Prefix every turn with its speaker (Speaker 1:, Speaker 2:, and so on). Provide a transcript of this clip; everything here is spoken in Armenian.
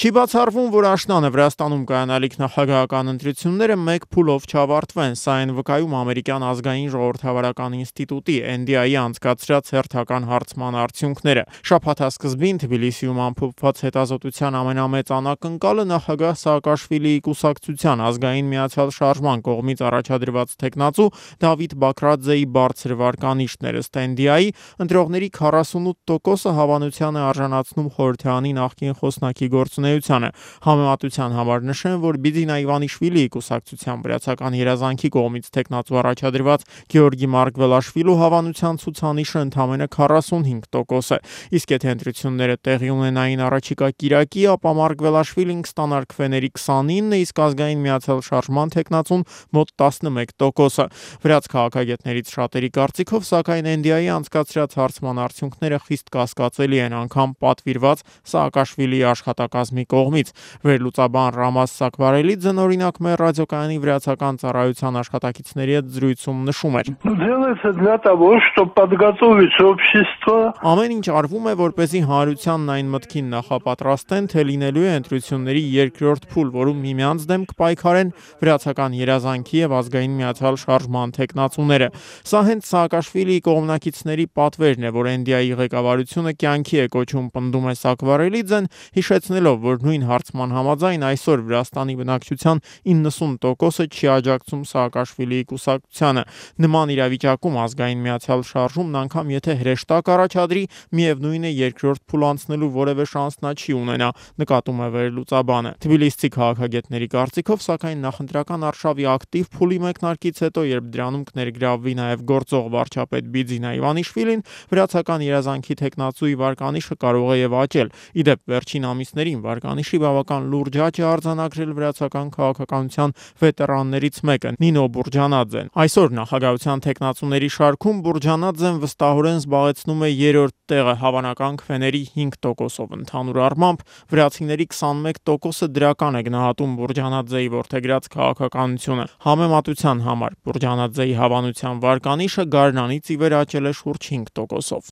Speaker 1: Չի բացառվում, որ աշնանը Վրաստանում կայանալիք նախագահական ընտրությունները մեկ փուլով չավարտվեն, սա են վկայում ամերիկյան ազգային ժողովրդավարական ինստիտուտի NDI-ի անցկացրած հերթական հարցման արդյունքները։ Շաբաթասկզբին Թբիլիսիում ամփոփված հետազոտության ամենամեծ անակնկալը նախագահ Սաակաշվիլիի կուսակցության ազգային միացյալ շարժման կողմից առաջադրված թեկնածու Դավիթ Բաքրաձեի բարձր վարկանիշն էր։ Ըստ NDI-ի ընտրողների 48%-ը հավանության է արժանացնում խորհրդարանի նախկին խոսնակի գործունեությանը։ Համեմատության համար նշեմ, որ Բիձինա Իվանիշվիլիի կուսակցության վրացական երազանքի կողմից թեկնածու առաջադրված Գեորգի Մարգվելաշվիլու հավանության ցուցանիշը ընդամենը 45% է։ Իսկ եթե ընտրությունները տեղի ունենային առաջիկա կիրակի, ապա Մարգվելաշվիլին կստանար քվեների 29, իսկ ազգային միացյալ շարժման թեկնածուն մոտ 11%-ը։ Վրաց քաղաքագետներից շատերի կարծիքով, սակայն NDI-ի անցկացրած հարցման արդյունքները խիստ կասկածելի են, անգամ պատվիրված Սաակաշվիլիի աշխատակազմի կողմից։ Վերլուծաբան Ռամազ Սակվարելիձեն օրինակ մեր ռադիոկայանի վրացական ծառայության աշխատակիցների հետ զրույցում նշում էր. Ամեն ինչ արվում է, որպեսզի հանրությանն այն մտքին նախապատրաստեն, թե լինելու է ընտրությունների երկրորդ փուլ, որում միմյանց դեմ կպայքարեն վրացական երազանքի եւ ազգային միացյալ շարժման թեկնածուները։ Սա հենց Սաակաշվիլիի կողմնակիցների պատվերն է, որ NDI-ի ղեկավարությունը կյանքի է կոչում, պնդում է Սակվարելիձեն, հիշեցնելով, որ նույն հարցման համաձայն այսօր Վրաստանի բնակչության 90%-ը չի աջակցում Սաակաշվիլիի կուսակցությանը։ Նման իրավիճակում ազգային միացյալ շարժումն անգամ եթե հրեշտակ առաջադրի, միևնույն է երկրորդ փուլ անցնելու որևէ շանս նա չի ունենա, նկատում է վերլուծաբանը։ Թբիլիսցի քաղաքագետների կարծիքով, սակայն նախընտրական արշավի ակտիվ փուլի մեկնարկից հետո, երբ դրանում կներգրավվի նաև գործող վարչապետ Բիձինա Իվանիշվիլին, վրացական երազանքի թեկնածուի վարկանիշը կարող է եւ աճել։ Իդեպ վերջին ամիսներին վարկանիշի բավական լուրջ աճ է արձանագրել վրացական քաղաքականության վետերաններից մեկը՝ Նինո Բուրջանաձեն։ Այսօր նախագահության թեկնածուների շարքում Բուրջանաձեն վստահորեն զբաղեցնում է երրորդ տեղը հավանական քվեների 5%-ով։ Ընդհանուր առմամբ վրացիների 21%-ը դրական է գնահատում Բուրջանաձեի որդեգրած քաղաքականությունը։ Համեմատության համար Բուրջանաձեի հավանության վարկանիշը գարնանից ի վեր աճել է շուրջ 5%-ով։